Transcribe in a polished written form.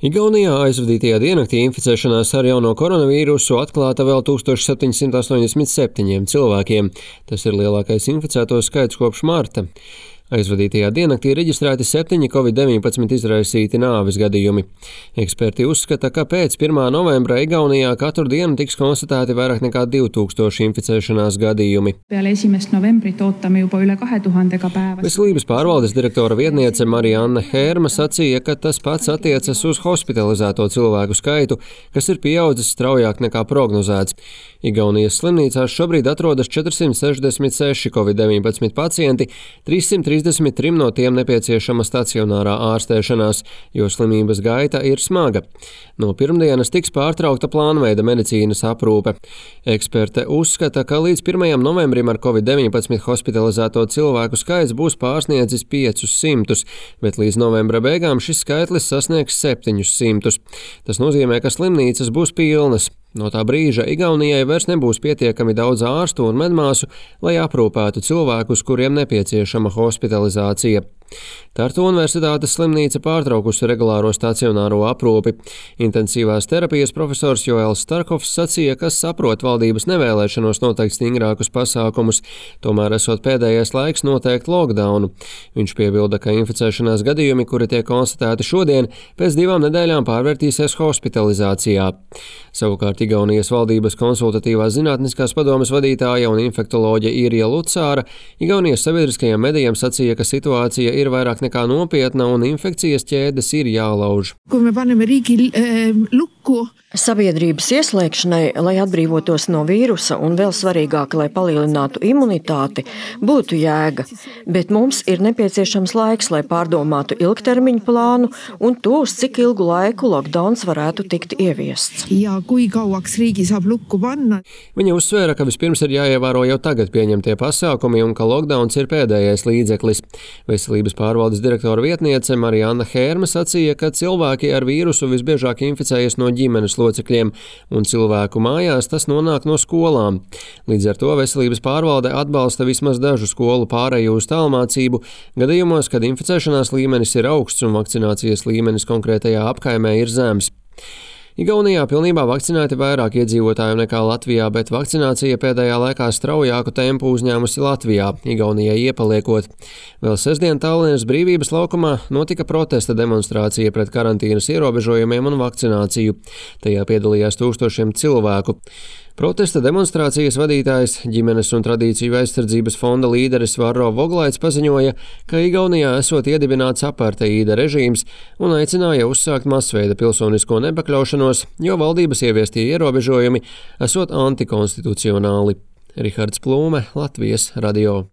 Igaunijā aizvadītajā diennaktī inficēšanās ar jauno koronavīrusu atklāta vēl 1787 cilvēkiem. Tas ir lielākais inficēto skaits kopš marta. Aizvadītajā diennaktī reģistrēti 7 Covid-19 izraisīti nāves gadījumi. Eksperti uzskata, ka pēc 1. novembra Igaunijā katru dienu tiks konstatēti vairāk nekā 2000 inficēšanās gadījumi. Peale 1. novembrit ootame juba üle 2000 päevas. Veselības pārvaldes direktora vietniece Marianne Hērma sacīja, ka tas pats attiecas uz hospitalizēto cilvēku skaitu, kas ir pieaudzis straujāk nekā prognozēts. Igaunijas slimnīcās šobrīd atrodas 466 Covid-19 pacienti, 333 no tiem nepieciešama stacionārā ārstēšanās, jo slimības gaita ir smaga. No pirmdienas tiks pārtraukta plānveida medicīnas aprūpe. Eksperte uzskata, ka līdz 1. novembrim ar Covid-19 hospitalizēto cilvēku skaits būs pārsniedzis 500, bet līdz novembra beigām šis skaitlis sasniegs 700. Tas nozīmē, ka slimnīcas būs pilnas. No tā brīža Igaunijai vairs nebūs pietiekami daudz ārstu un medmāsu, lai aprūpētu cilvēkus, kuriem nepieciešama hospitalizācija. Tartu Universitātes slimnīca pārtraukusi regulāro stacionāro aprūpi. Intensīvās terapijas profesors Joels Starkovs sacīja, ka saprot valdības nevēlēšanos noteikt stingrākus pasākumus, tomēr esot pēdējais laiks noteikt lockdownu. Viņš piebilda, ka inficēšanās gadījumi, kuri tiek konstatēti šodien, pēc 2 nedēļām pārvērtīsies hospitalizācijā. Savukārt Igaunijas valdības konsultatīvās zinātniskās padomes vadītāja un infektoloģe Irja Lucāra Igaunijas sabiedriskajiem medijiem sacīja, ka situācija ir vairāk nekā nopietna un infekcijas ķēdes ir jālauž. Kui me paneme riigi lukku. Sabiedrības ieslēgšanai, lai atbrīvotos no vīrusa un vēl svarīgāk, lai palielinātu imunitāti, būtu jēga, bet mums ir nepieciešams laiks, lai pārdomātu ilgtermiņu plānu un to, uz cik ilgu laiku lockdowns varētu tikt ieviests. Ja kui kauaks riigi saab lukku panna. Viņa uzsvēra, ka vispirms ir jāievēro jau tagad pieņemtie pasākumi un ka lockdowns ir pēdējais līdzeklis. Veselības pārvaldes direktora vietniece Marianne Hērma sacīja, ka cilvēki ar vīrusu visbiežāk inficējas no ģimenes locekļiem, un cilvēku mājās tas nonāk no skolām. Līdz ar to veselības pārvalde atbalsta vismaz dažu skolu pāreju uz tālmācību gadījumos, kad inficēšanās līmenis ir augsts un vakcinācijas līmenis konkrētajā apkaimē ir zems. Igaunijā pilnībā vakcinēti vairāk iedzīvotāju nekā Latvijā, bet vakcinācija pēdējā laikā straujāku tempu uzņēmusi Latvijā, Igaunijai iepaliekot. Vēl sestdien Tallinas Brīvības laukumā notika protesta demonstrācija pret karantīnas ierobežojumiem un vakcināciju. Tajā piedalījās tūkstošiem cilvēku. Protesta demonstrācijas vadītājs, ģimenes un tradīciju aizsardzības fonda līderis Varro Voglaits paziņoja, ka Igaunijā esot iedibināts aparteīda režīms un aicināja uzsākt masveida pilsonisko nepakļaušanos, jo valdības ieviestie ierobežojumi esot antikonstitucionāli. Rihards Plūme, Latvijas radio.